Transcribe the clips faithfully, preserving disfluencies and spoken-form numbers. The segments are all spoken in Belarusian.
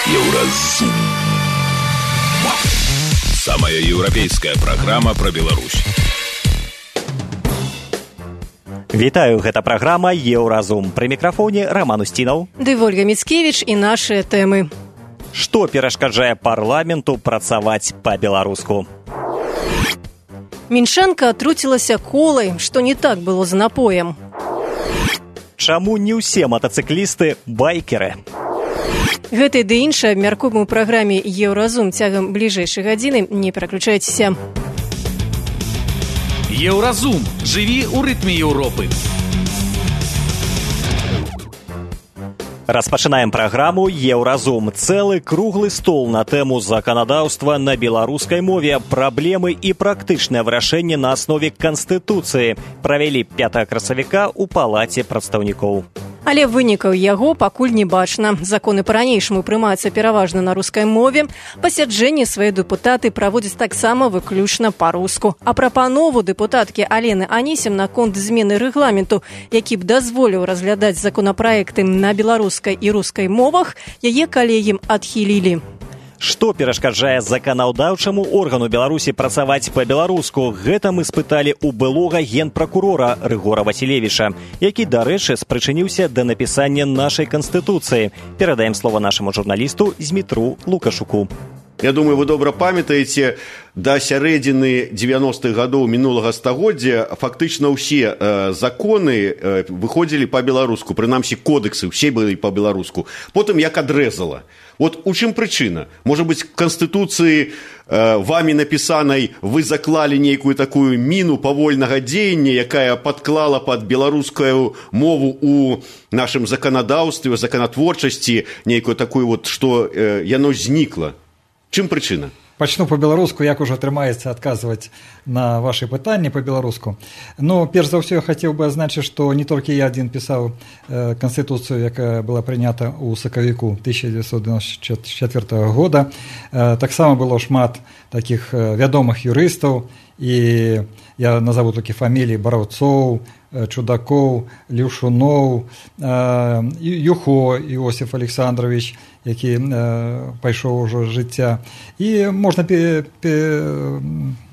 Еўразум. Самая еўрапейская праграма пра Беларусь. Вітаю, гэта праграма «Еўразум». Пры мікрафоне Роман Устінаў. Ды Вольга Міцкевіч і нашыя тэмы. Што перашкаджае парламенту працаваць па-беларуску? Мінчанка атруцілася колай, што не так было з напоем. Чаму не ўсе матацыклісты байкеры? Гэтай ды іншай абмяркуем у праграме «Еўразум» цягам бліжэйшай гадзіны. Не пераключайцеся. Еўразум. Жыві ў рытме Еўропы. Распачынаем праграму «Еўразум». Цэлы круглы стол на тэму заканадаўства на беларускай мове, праблемы і практычнае вырашэнне на аснове Канстытуцыі правялі пятага красавіка ў Палаце прадстаўнікоў. Але вынікаў яго пакуль не бачна. Законы па-ранейшаму прымаюцца пераважна на рускай мове. Пасяджэнні свае дэпутаты праводзяць таксама выключна па-руску. А прапанову дэпутаткі Алены Анісім наконт змены рэгламенту, які б дазволіў разглядаць законапраекты на беларускай і рускай мовах, яе калегі адхілілі. Што перашкаджае заканадаўчаму органу Беларусі працаваць па-беларуску? Гэта мы спыталі ў былога генпракурора Рыгора Васілевіча, які, дарэчы, спрычыніўся да напісання нашай Канстытуцыі. Перадаем слова нашаму журналісту Змітру Лукашуку. Я думаю, вы добра памятаеце, да сярэдзіны дзевяностых гадоў мінулага стагоддзя фактычна ўсе э, законы э, выходзілі па-беларуску, прынамсі кодексы ўсе былі па-беларуску. Потым як адрэзала. Вот у чым прычына? Можа быць, в Канстытуцыі э, вамі напісанай вы заклалі нейкую такую міну павольнага дзеяння, якая падклала пад беларускую мову у нашым заканадаўстве, законатворчасці, нейкую такую вот, што э, яно знікла. Чым прычына? Пачну па-беларуску, як ужо атрымаецца адказваць на вашы пытанні па-беларуску. Ну, перш за ўсё, я хацеў бы азначыць, што не толькі я адзін пісаў э, Канстытуцыю, якая была прынята ў сакавіку тысяча дзевяцьсот дзевяносто чацвёртага года. Э, таксама было шмат такіх э, вядомых юрыстаў, і я назову толькі фаміліі Бараўцоў, Чудакоў, Люшуноў, э, Юхо Іосиф Александрович, які э, пайшоў ужо з жыцця. І можна пе, пе,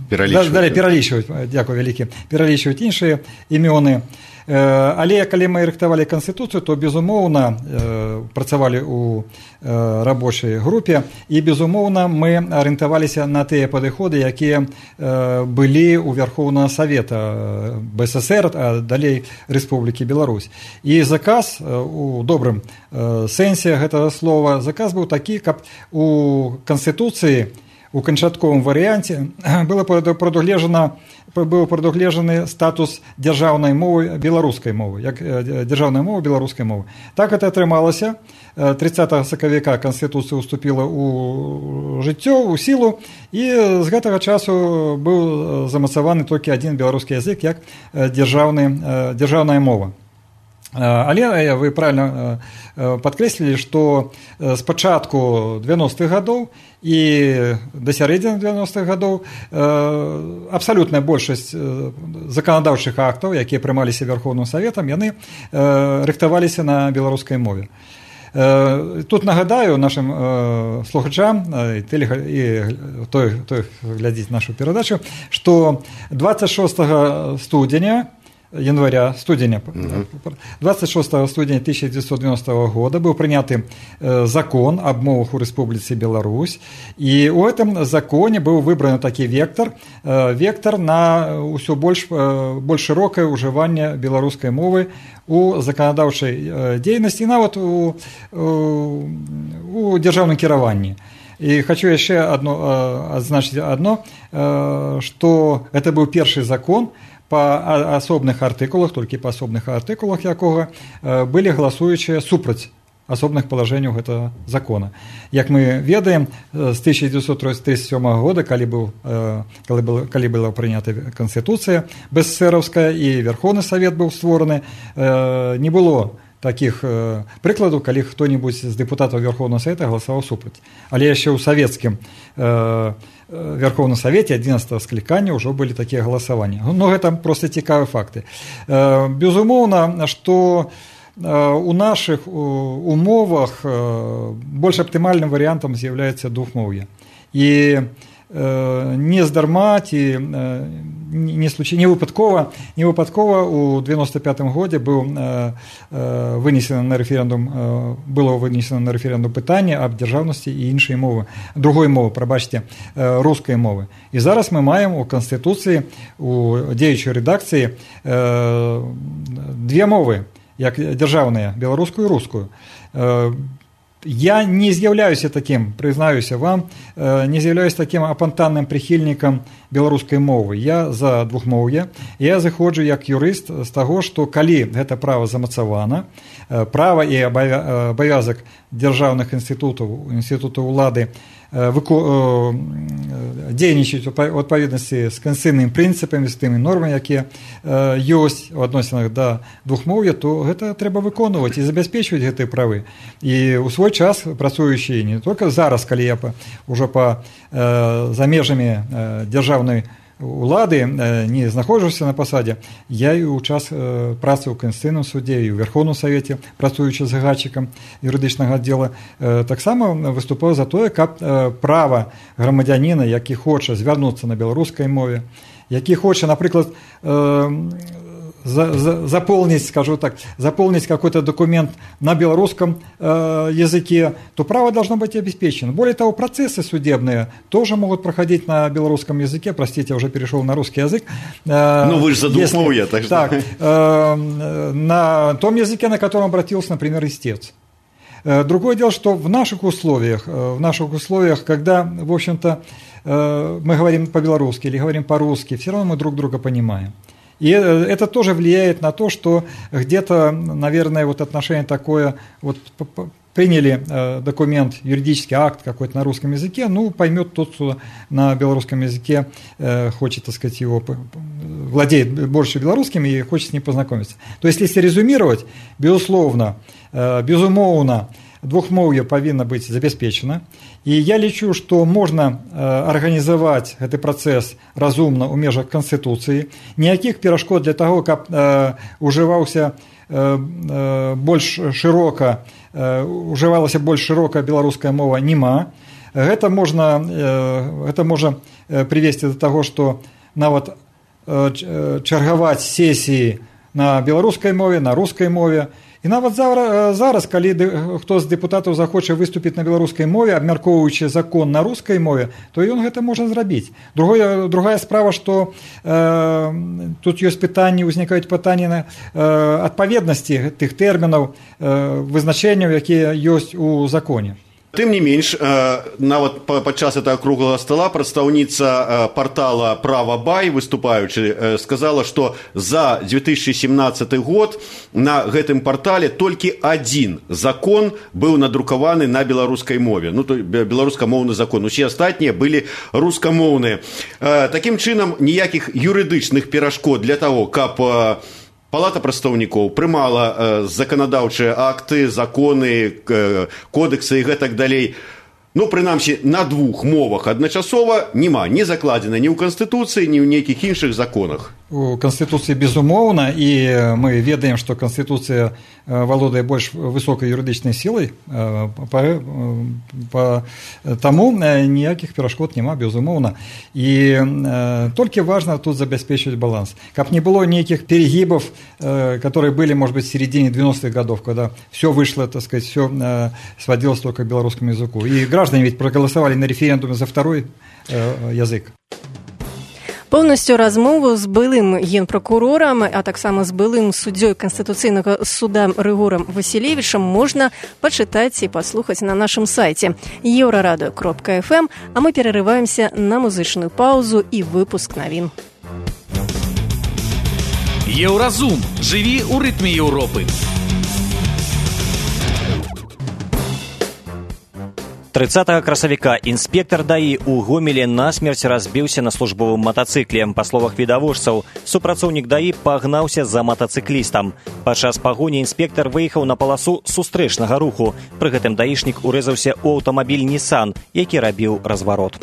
пералічваць. Далей пералічваць, дзякую вялікі, пералічваць іншыя імёны. Э, але калі мы рыхтавалі Канстытуцыю, то, безумоўна, э, працавалі ў э, рабочай групе, і, безумоўна, мы арыентаваліся на тыя падыходы, якія э, былі ў Вярхоўнага Савета БССР, а далей Рэспублікі Беларусь. І заказ э, у добрым э, сэнсе гэтага слова, заказ быў такі, каб у Канстытуцыі у канчатковым варыянце было прадугледжана быў прадугледжаны статус дзяржаўнай мовы беларускай мовы, як дзяржаўная мова беларускай мовы. Так это атрымалася. трыццатага сакавіка Канстытуцыя уступіла ў жыццё, у сілу, і з гэтага часу быў замацаваны толькі адзін беларускі язык як дзяржаўны, дзяржаўная мова. Але вы правильно падкрэслілі, што з пачатку дзевяностых гадоў і да сярэдзіны дзевяностых гадоў абсалютная большасць заканадаўчых актаў, якія прымаліся Вярхоўным Саветам, яны рыхтаваліся на беларускай мове. Тут нагадаю нашим слухачам і той, хто глядзіць нашу перадачу, што двадцать шостага студзеня января, студеня, двадцать шостого студеня тысяча девятьсот девяностого года был принят закон об мовах у Республике Беларусь, и в этом законе был выбран такой вектор, вектор на все больше, больше широкое уживание белорусской мовы у законодавчей деятельности и нават у, у, у державном кіраванні. И хочу еще одно, отзначить одно, что это был первый закон, па асобных артыкулах, толькі па асобных артыкулах якога былі галасуючыя супраць асобных палажэнняў гэтага закона. Як мы ведаем, з тысяча девятьсот тридцать седьмого года, калі, быў, калі, был, калі была прынята Канстытуцыя бэсэсэровская і Верховны Савет быў створаны, не было таких прыкладаў, калі хто-небудзь з дэпутатаў Верховного Совета галасаваў супраць. Але яшчэ ў савецкім Верховном Совете одиннадцатого скликания уже были такие голосования. Но это просто цікавыя факты. Безумоўна, что у наших умовах больш аптымальным варыянтам з'яўляецца двухмоўе. І не здарма ці не случай не выпадкова не выпадкова у девяносто пятым годзе быў вынесена на рэферэндум было вынесена на рэферэндум пытанне аб дзяржаўнасці і іншай мовы другой мовы прабачце рускай мовы. І зараз мы маем у канстытуцыі у дзеючай рэдакцыі две мовы як дзяржаўныя беларускую і рускую. Я не з'яўляюся таким, прызнаюся вам, не з'яўляюся таким апантанным прыхільнікам беларускай мовы. Я за двухмоўе. Я зыходжу як юрыст з таго, што калі гэта права замацавана, права і абавязак дзяржаўных інстытутаў, інстытутаў улады дзейнічаюць у адпаведнасці з канстытуцыйнымі прынцыпамі, з тымі нормамі, якія ёсць у адносінах да двухмоўя, то гэта трэба выконваць і забяспечваць гэтыя правы. І ў свой час працуючы не толькі зараз, калі я ўжо па за межамі дзяржаўнай улады не знаходжуся на пасадзе, я і ў час працы ў Канстытуцыйным судзе і ў Верховным Савеце, працуючы загадчыкам юрыдычнага аддзела, таксама выступаю за тое, каб права грамадзяніна, які хоча звярнуцца на беларускай мове, які хоча, напрыклад, За, за, заполнить, скажу так, заполнить какой-то документ на белорусском э, языке, то право должно быть обеспечено. Более того, процессы судебные тоже могут проходить на белорусском языке. Простите, я уже перешел на русский язык. Э, ну, вы же за двухмоўе, так что... Так, э, на том языке, на котором обратился, например, истец. Э, другое дело, что в наших условиях, э, в наших условиях, когда, в общем-то, э, мы говорим по-белорусски или говорим по-русски, все равно мы друг друга понимаем. И это тоже влияет на то, что где-то, наверное, вот отношение такое, вот приняли документ, юридический акт какой-то на русском языке, ну, поймет тот, кто на белорусском языке хочет, так сказать, его, владеет больше белорусским и хочет с ним познакомиться. То есть, если резюмировать, безусловно, безумоўна, двухмоўе павінна быць забяспечана. І я лічу, што можна арганізаваць гэты працэс разумна ў межах Канстытуцыі. Ніякіх перашкод для таго, каб ужываўся больш шырока, ужывалася больш шырока беларуская мова, няма. Гэта можна, гэта можа прывесці да таго, што нават чаргаваць сесіі на беларускай мове, на рускай мове. І нават зараз, калі хто з дэпутатаў захоча выступіць на беларускай мове, абмяркоўваючы закон на рускай мове, то ён гэта можа зрабіць. Другое, другая справа, што э, тут ёсць пытанні, узнікаюць пытанні на э, адпаведнасці тых тэрмінаў, э, вызначэнняў, якія ёсць у законе. Тым не менш, нават падчас этого круглага стола прадстаўніца портала «Права.бай», выступаючы, сказала, што за две тысячи семнадцатый год на гэтым портале толькі адзін закон быў надрукаваны на беларускай мове. Ну, то беларускамоўны закон. Усе астатнія былі рускамоўныя. Такім чынам, ніякіх юрыдычных перашкод для таго, каб Палата прадстаўнікоў прымала заканадаўчыя акты, законы, кодексы і гэтак далей. Ну, прынамсі, на двух мовах адначасова няма, не закладзена ні ў Канстытуцыі, ні ў нейкіх іншых законах. У Канстытуцыі безумоўна, і мы ведаем, што Канстытуцыя валодае больш высокай юрыдычнай сілай, таму ніякіх перашкод няма, безумоўна. І толькі важна тут забяспечыць баланс. Каб не было нейкіх перегибов, которые были, может быть, в середине девяностых годов, когда все вышло, так сказать, все сводилось только к белорусскому языку. И граждане ведь проголосовали на референдуме за второй язык. Поўнасцю размову з былым генпракурорам, а таксама з былым суддзёй Канстытуцыйнага суда Рыгорам Васілевічам можна пачытаць і паслухаць на нашым сайце еўрарадыё кропка эф эм, а мы перарываемся на музычную паузу і выпуск навін. Еўразум. Жыві ў рытме Еўропы. тридцатого красавіка інспектар даі ў Гомелі насмерць разбіўся на службовым матацыкле. Па словах відавочцаў, супрацоўнік даі пагнаўся за матацыклістам. Падчас пагоні інспектар выехаў на паласу сустрэчнага руху. Пры гэтым даішнік урэзаўся ў аўтамабіль Nissan, які рабіў разварот.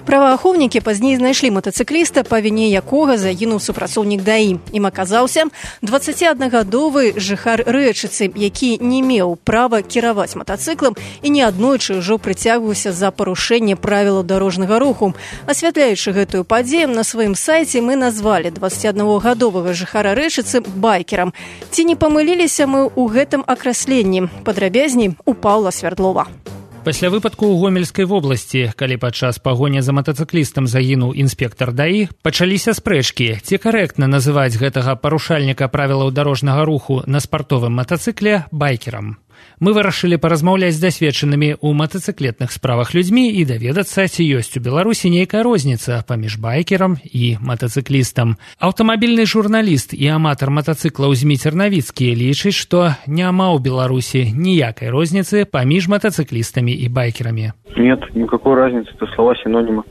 Праваахоўнікі пазней знайшлі матацыкліста, па віне якога загінуў супрацоўнік ДАІ. Ім аказаўся дваццаціаднагадовы жыхар Рэчыцы, які не меў права кіраваць матацыклам і неаднойчы ўжо прыцягваўся за парушэнне правілаў дарожнага руху. Асвятляючы гэтую падзею, на сваім сайце мы назвалі дваццаціаднагадовага жыхара Рэчыцы байкерам. Ці не памыліліся мы ў гэтым акрэсленні? Падрабязней у Паўла Свярдлова. Пасля выпадку ў Гомельскай вобласці, калі падчас пагоні за матацыклістам загінуў інспектар ДАІ, пачаліся спрэчкі, ці карэктна называць гэтага парушальніка правілаў дарожнага руху на спартовым матацыкле байкерам. Мы вырашылі паразмаўляць з дасведчанымі ў матацыклетных справах людзьмі і даведацца, ці ёсць у Беларусі нейкая розніца паміж байкерам і матацыклістам. Аўтамабільны журналіст і аматар матацыклаў Зміцер Навіцкі лічыць, што няма ў Беларусі ніякай розніцы паміж матацыклістамі и байкерами. Нет, никакой разницы, это слова-синонимы.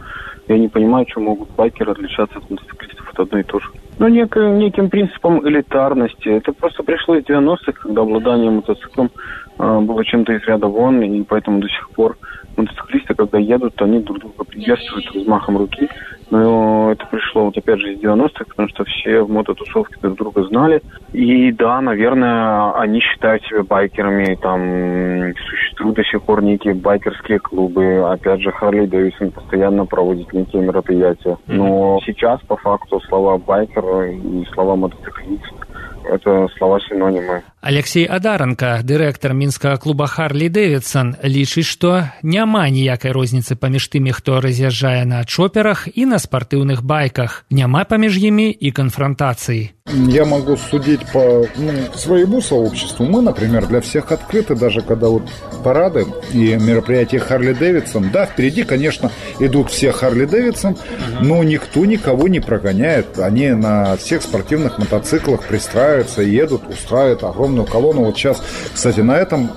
Я не понимаю, чем могут байкеры отличаться от мотоциклистов, это одно и то же. Но неким, неким принципом элитарности. Это просто пришло из девяностых, когда обладание мотоциклом э, было чем-то из ряда вон, и поэтому до сих пор мотоциклисты, когда едут, они друг друга приветствуют взмахом руки. Но это пришло вот опять же из девяностых, потому что все в мототусовке друг друга знали. И да, наверное, они считают себя байкерами. Там существуют до сих пор некие байкерские клубы. Опять же, Харли Дэвидсон постоянно проводит некие мероприятия. Но сейчас, по факту, слова байкер и слова мотоциклист – это слова-синонимы. Алексей Адаранка, дырэктар мінскага клуба Харли Дэвидсон, лічыць, што няма ніякай розніцы паміж тымі, хто раз'язджае на чоперах і на спартыўных байках. Няма паміж імі і конфронтаций. Я могу судить по ну, своему сообществу. Мы, например, для всех открыты, даже когда вот парады и мероприятия Харли Дэвидсон. Да, впереди, конечно, идут все Харли Дэвидсон, но никто никого не прогоняет. Они на всех спортивных мотоциклах пристраиваются, едут, устраивают огромную колонну. Вот сейчас, кстати, на этом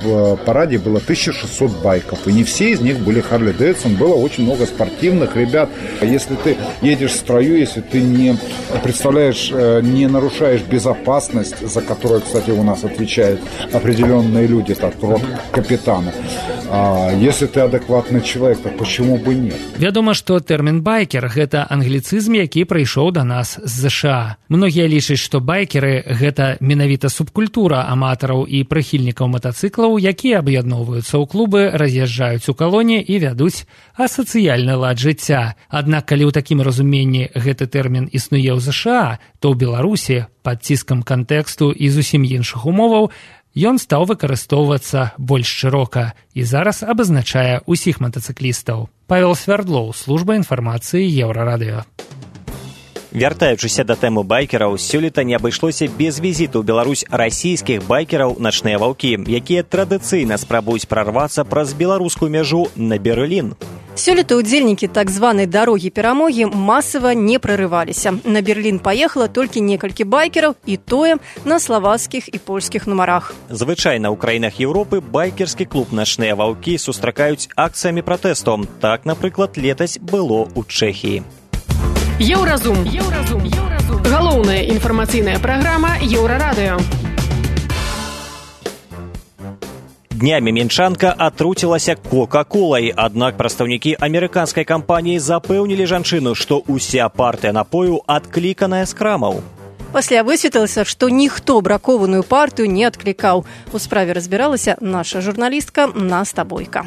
параде было тысяча шестьсот байков, и не все из них были Харли Дэвидсон. Было очень много спортивных ребят. Если ты едешь в строю, если ты не представляешь, не нарушаешь безопасность, за которую, кстати, у нас отвечают определенные люди, так, вот капитаны. А если ты адекватный человек, то почему бы нет? Вядома, што тэрмін байкер – гэта англіцызм, які прыйшоў да нас з ЗША. Многія лічаць, што байкеры – гэта менавіта субкультура аматараў і прыхільнікаў матацыклаў, якія аб'ядноўваюцца ў клубы, раз'язджаюць у калоне і вядуць асацыяльны лад жыцця. Аднак, калі ў такім разуменні гэты тэрмін існуе ў ЗША, то ў Беларусі пад ціскам кантэксту і зусім іншых умоваў ён стаў выкарыстоўвацца больш шырока і зараз абазначае ўсіх матацыклістаў. Павел Свярдлоў, служба інфармацыі Еўрарадыё. Вяртаючыся да тэмы байкераў, сёлета не абышлося без візіту ў Беларусь расійскіх байкераў «Начныя ваўкі», якія традыцыйна спрабуюць прарвацца праз беларускую мяжу на Берлін. Сёлета удзельнікі так званай дарогі перамогі масава не прарываліся. На Берлін паехала толькі некалькі байкераў, і тое на славацкіх і польскіх нумарах. Звычайна ў краінах Еўропы байкерскі клуб «Начныя ваўкі» сустракаюць акцыямі пратэсту. Так, напрыклад, летась было ў Чэхіі. Еўразум. Еўразум. Еўразум. Галоўная інфармацыйная праграма Еўрарадыё. Днямі мінчанка атруцілася кока-колай, аднак прадстаўнікі амерыканскай кампаніі запэўнілі жанчыну, што ўся партыя напою адкліканая з крамаў. Пасля высветлілася, што ніхто бракованую партыю не адклікаў. У справе разбіралася наша журналістка Наста Бойка.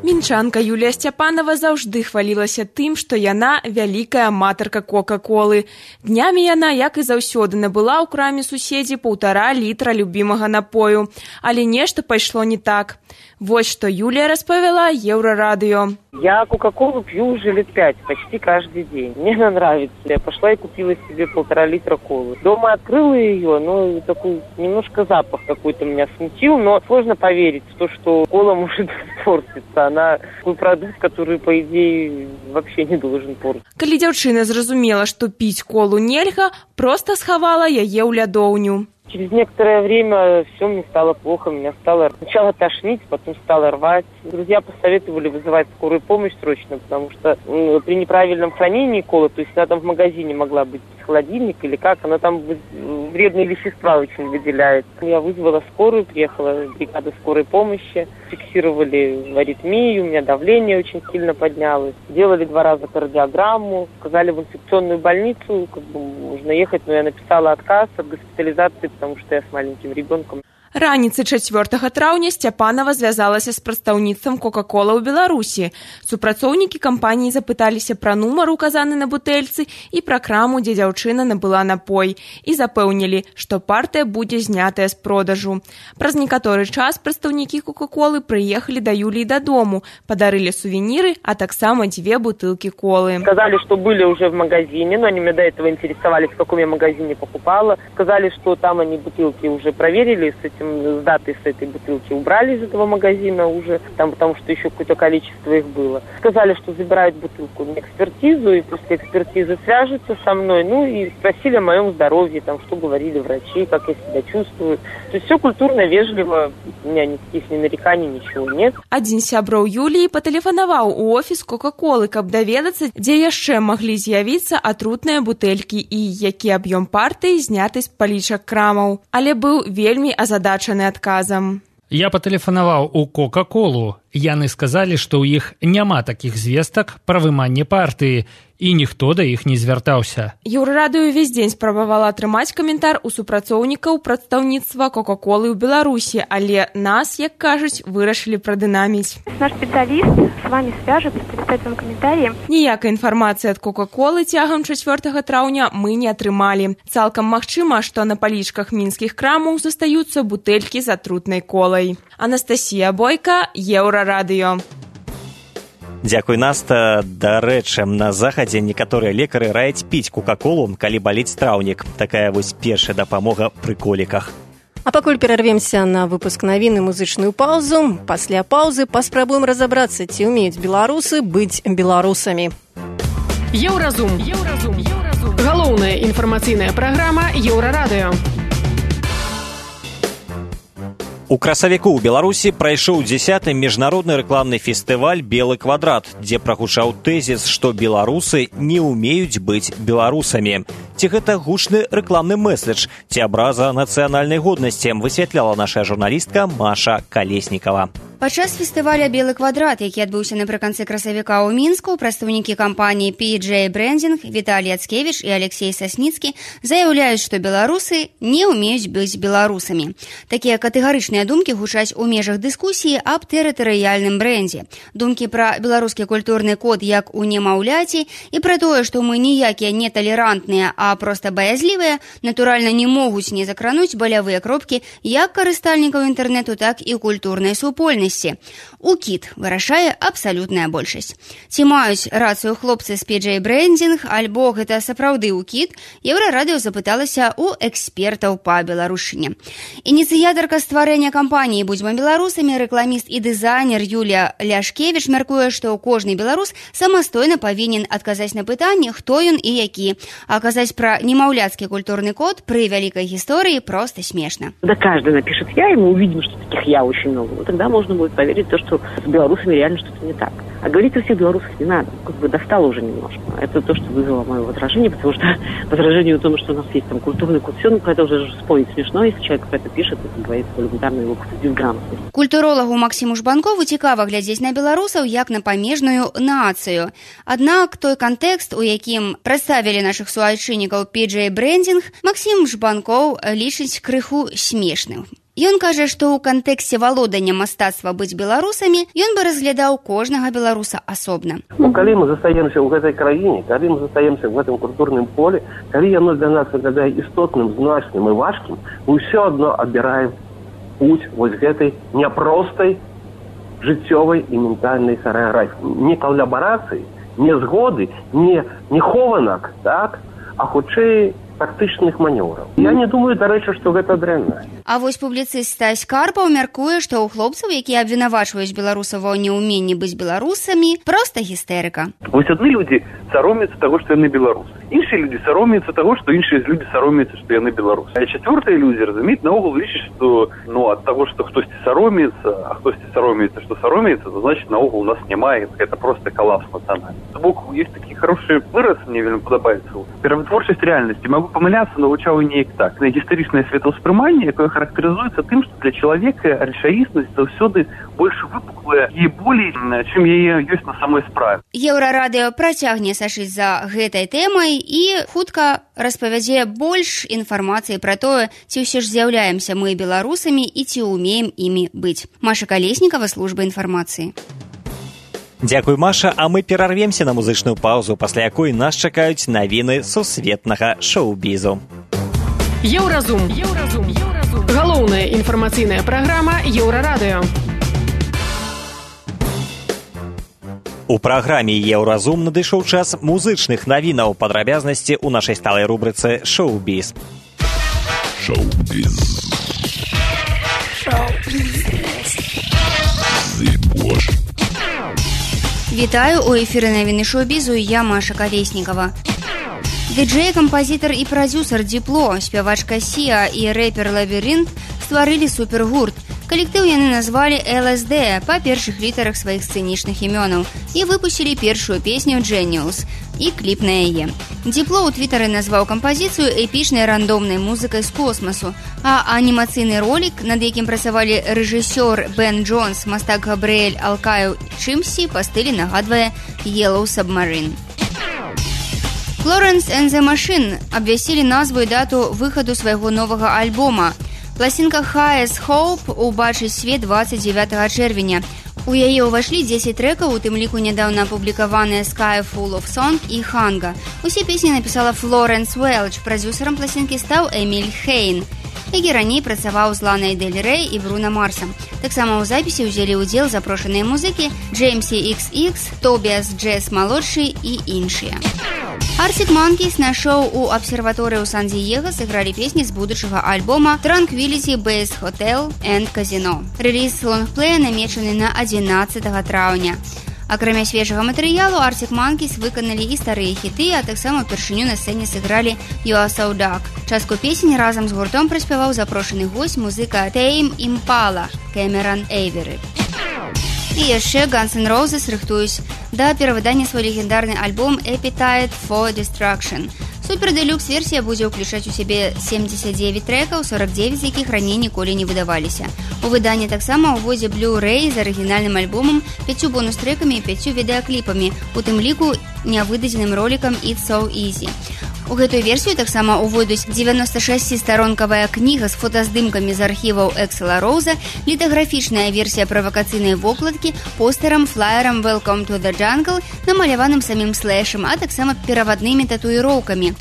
Мінчанка Юлія Сцяпанова заўжды хвалілася тым, што яна вялікая аматарка кока-колы. Днямі яна, як і заўсёды, набыла ў краме суседзі паўтара літра любімага напою. Але нешта пайшло не так. Вось што Юлия распавяла Еврорадио. Я кока-колу пью уже лет пять, почти каждый день. Мне она нравится. Я пошла и купила себе полтора литра колы. Дома открыла ее, но такой немножко запах какой-то меня смутил, но сложно поверить в то, что кола может портиться. Она такой продукт, который, по идее, вообще не должен портиться. Калі дзяўчына зразумела, што піць колу нельга, просто схавала яе ў лядоўню. Через некоторое время все мне стало плохо, меня стало сначала тошнить, потом стало рвать. Друзья посоветовали вызывать скорую помощь срочно, потому что э, при неправильном хранении колы, то есть она там в магазине могла быть холодильник или как, она там вредные вещества очень выделяют. Я вызвала скорую, приехала бригада скорой помощи, фиксировали аритмию, у меня давление очень сильно поднялось. Делали два раза кардиограмму, сказали в инфекционную больницу, как бы нужно ехать, но я написала отказ от госпитализации, потому что я с маленьким ребенком. Раніцай чацвёртага траўня Сцяпанава звязалася з прадстаўніцтвам Кока-кола ў Беларусі. Супрацоўнікі кампаніі запыталіся пра нумар, указаны на бутэльцы, і пра краму, дзе дзяўчына набыла напой, і запэўнілі, што партыя будзе знятая з продажу. Праз некаторы час прадстаўнікі Кока-колы прыехалі да Юліі дадому, падарылі сувеніры, а таксама дзве бутылкі колы. Сказали, что были уже в магазине, но они меня до этого интересовались, в каком я магазине покупала. Сказали, что там они бутылки уже проверили, с этим с датой с этой бутылки убрали из этого магазина уже, там, потому что еще какое-то количество их было. Сказали, что забирают бутылку на экспертизу, и после экспертизы свяжутся со мной, ну и спросили о моем здоровье, там, что говорили врачи, как я себя чувствую. То есть все культурно, вежливо, у меня никаких ни нареканий, ничего нет. Адзін з сяброў Юліі патэлефанаваў у офіс Кока-колы, каб даведацца, дзе яшчэ маглі з'явіцца атрутныя бутэлькі і які аб'ём партыі зняты з палічак крамаў. Але быў вельмі азадачаны адказам. Я патэлефанаваў у Кока-колу. Яны сказалі, што ў іх няма такіх звестак пра выманне партыі, і ніхто да іх не звяртаўся. Еўрарадыё ўвесь дзень спрабавала атрымаць каментар у супрацоўнікаў прадстаўніцтва Кока-колы ў Беларусі, але нас, як кажуць, вырашылі прадынаміць. Наш специалист с вами свяжется, предоставит вам комментарии. Ніякай інфармацыі ад Кока-колы цягам чацвёртага траўня мы не атрымалі. Цалкам магчыма, што на палічках мінскіх крамаў застаюцца бутэлькі з атрутнай колай. Анастасія Бойка, Еўрарадыё. Дзякуй, Наста. Дарэчы, на захадзе некаторыя лекары раяць піць кока-колу, калі баліць траўнік. Такая вось першая дапамога пры коліках. А пакуль перарвемся на выпуск навін і музычную паўзу, пасля паўзы паспрабуем разабрацца, ці ўмеюць беларусы быць беларусамі. Еўразум. Еўразум. Еўразум. Галоўная інфармацыйная праграма Еўрарадыё. У красавіку ў Беларусі прайшоў дзесяты міжнародны рэкламны фестываль «Белы квадрат», дзе прагучаў тэзіс, што беларусы не ўмеюць быць беларусамі. Ці гэта гучны рэкламны мэсэдж, ці абраза нацыянальнай годнасці, высвятляла наша журналістка Маша Калеснікава. Падчас фестываля «Белы квадрат», які адбыўся напрыканцы красавіка ў Мінску, прадстаўнікі кампаніі пі джей Брендинг Віталій Ацкевіч і Алексей Сасніцкі заяўляюць, што беларусы не ўмеюць быць беларусамі. Такія катэгарычныя думкі гучаць у межах дыскусіі аб тэрытарыяльным брэндзе. Думкі пра беларускі культурны код як у немаўляці і пра тое, што мы ніякія не талерантныя, а проста баязлівыя, натуральна не могуць не закрануць балявыя кропкі як карыстальнікаў інтэрнэту, так і культурнай супольнасці. УКІД вырашае абсалютная большасць. Ці маюць рацыю хлопцы з пі джей Брендинг, альбо гэта сапраўды УКІД, Еўрарадыё запыталася у экспертаў па беларушчыне. Ініцыятарка стварэння кампаніі «Будзьма беларусамі», рэкламіст і дызайнер Юлія Ляшкевіч мяркуе, што кожны беларус самастойна павінен адказаць на пытанне, хто ён і які. А казаць пра немаўляцкі культурны код пры вялікай гісторыі проста смешна. Да каждый напишет «я», и мы увидим, что таких «я» очень много. Вот тогда можно будет поверить в то, что с белорусами реально что-то не так. А говорить о всех белорусах не надо. Как бы достало уже немножко. Это то, что вызвало мое возражение, потому что возражение о том, что у нас есть там культурный код, все, ну, это уже спорить смешно, если человек это пишет, это говорит элементарно его безграмотность. Культуролагу Максиму Жбанкову цікава глядзець на беларусаў як на памежную нацыю. Аднак той кантэкст, у якім прадставілі нашых суайчыннікаў пі джей Брендинг, Максим Жбанков лічыць крыху смешным. Ён кажа, што ў кантэксце валодання мастацтва быць беларусамі ён бы разглядаў кожнага беларуса асобна. Ну, калі мы застаемся ў гэтай краіне, калі мы застаемся ў гэтым культурным поле, калі яно для нас выглядае істотным, значным і важкім, мы ўсё адно абіраем путь вось гэтай няпростай жыццёвай і ментальнай харэаграфіі. Не калабарацыі, не згоды, не, не хованак, так? А хутчэй тактычных манеўраў. Я не думаю, дарэчы, што гэта дрэнна. А вось публіцыст Стась Карпаў мяркуе, што ў хлопцаў, якія абвінавачваюць беларусаў ва неўменні быць беларусамі, проста гістэрыка. Вось адны людзі саромеюцца таго, што яны беларусы. Іншыя людзі саромеюцца таго, што іншыя людзі саромеюцца, што яны беларусы. А чацвёртыя людзі разумеюць, наогул лічаць, што ну ад таго, што хтосьці саромеецца, а хтосьці саромеецца, што саромеецца, то значит наогул у нас няма, гэта просто калапс нацыянальны. З боку есть такі хорошы выраз, мне вельмі падабаецца. Перавытворчасць рэальнасці. Магу памыляцца, навучаў і неяк так. Гістарычнае светаўспрыманне, якое характарызуецца тым, што для чалавека рэчаіснасць заўсёды больш выпуклая і болей, чым яе ёсць на самой справе. Еўрарадыё працягне сачыць за гэтай тэмай і хутка распавядзе больш інфармацыі пра тое, ці ўсё ж з'яўляемся мы беларусамі і ці ўмеем імі быць. Маша Калеснікава, служба інфармацыі. Дзякуй, Маша, а мы перарвемся на музычную паузу, пасля якой нас чакаюць навіны сусветнага шоу-бізу. Еўразум. Еўразум. Еўразум. Галоўная інфармацыйная праграма Еўрарадыё. У праграме Еўразум надышоў час музычных навінаў, падрабязнасці ў нашай сталай рубрыцы «Шоу-біз». Шоу-біз. Шоу-біз. Вітаю, у эфіры навіны шоу-бізу, я Маша Калеснікава. Ді-джэй, кампазітар і прадзюсар Дипло, спявачка Сіа і рэпер Лабірынт стварылі супергурт. Калектыў яны назвалі эл эс дэ па першых літарах сваіх сцэнічных імёнаў і выпусцілі першую песню «Genius» і кліп на яе. Дипло ў твітары назваў кампазіцыю эпічнай рандомнай музыкай з космасу, а анімацыйны ролік, над якім працавалі рэжысёр Бен Джонс, мастак Габрыэль Алкаю чымсьці па стылі нагадвае «Yellow Submarine». Florence and the Machine абвясцілі назву і дату выхаду свайго новага альбома. Пласінка «Highest Hope» убачыць свет двадцать девятого чэрвеня. У яе ўвайшлі дзесяць трэкаў, у тым ліку нядаўна апублікаваныя «Sky Full of Song» і «Ханга». Усе песні напісала Флоренс Уэлч, прадзюсарам пласінкі стаў Эміль Хейн, які раней працаваў з Ланай Дель Рэй і Бруно Марсам. Таксама ў запісе ўзялі ўдзел запрошаныя музыкі Джеймсі ікс ікс, Тобіас Джэс-малодшы і іншыя. Arctic Monkeys на шоу у абсерваторыі ў Сан-Діего сыгралі песні з будучага альбома Tranquility Base Hotel and Casino. Рэліз лонгплея намечаны на адзінаццатага траўня. Акрамя свежага матэрыялу, Arctic Monkeys выканалі і старыя хіты, а таксама ўпершыню на сцэне сыгралі «You Are So Dark». Частку песень разам з гуртом праспяваў запрошаны госць музыка Tame Impala Кэмеран Эйверы. І яшчэ Guns N' Roses рыхтуюць да перавыдання свой легендарны альбом «Appetite for Destruction». Супер-дэлюкс-версія будзе ўключаць у сябе семьдесят девять трэкаў, сорок девять з якіх раней ніколі не выдаваліся. У выданні таксама ўводзе Blu-ray з арыгінальным альбомам, пяццю бонус-трэкамі і пяццю відэакліпамі, у тым ліку нявыдадзеным ролікам «It's So Easy». У гэтую версію таксама ўвойдуць девяносто шасцістаронкавая кніга з фотаздымкамі з архіваў Эксела Роуза, літаграфічная версія правакацыйнай вокладкі, постэрам, флаерам «Welcome to the Jungle», намаляваным самім Слэшам, а таксама пераваднымі татуіроўкамі.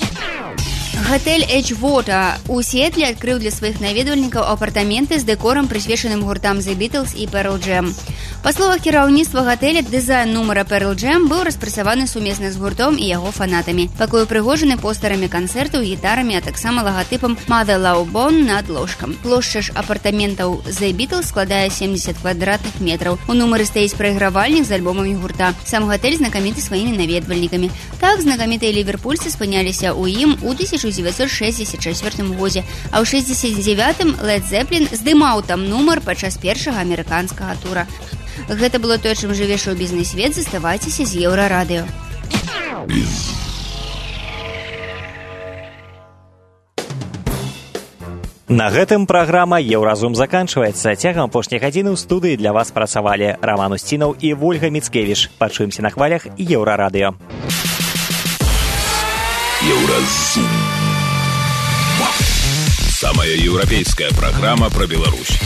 Гатэль Эджвота у Сіэтле адкрыў для сваіх наведвальнікаў апартаменты з дэкорам, прысвечаным гуртам The Beatles і Pearl Jam. Па словах кіраўніцтва гатэля, дызайн нумара Pearl Jam быў распрацаваны сумесна з гуртом і яго фанатамі. Пакой упрыгожаны постарамі канцэртаў, гітарамі, а таксама лагатыпам Mother Love Bone над ложкам. Плошча ж апартаментаў The Beatles складае семьдесят квадратных метраў. У нумары стаіць прайгравальнік з альбомамі гурта. Сам гатэль знакаміты сваімі наведвальнікамі. Так, знакамітыя ліверпульцы спыняліся ў ім у тысяча девятьсот шестьдесят четвёртым годзе, а ў шэсцьдесят девятым Led Zeppelin здымаў там нумар падчас першага амерыканскага тура. Гэта было тое, чым жыве шоу-бізнес свет. Заставайцеся з Еўрарадыё. На гэтым праграма «Еўразум» заканчваецца. Цягам апошняй гадзіны ў студыі для вас працавалі Роман Устінаў і Вольга Міцкевіч. Пачуемся на хвалях Еўрарадыё. Еўразум. Самая еўрапейская праграма пра Беларусь.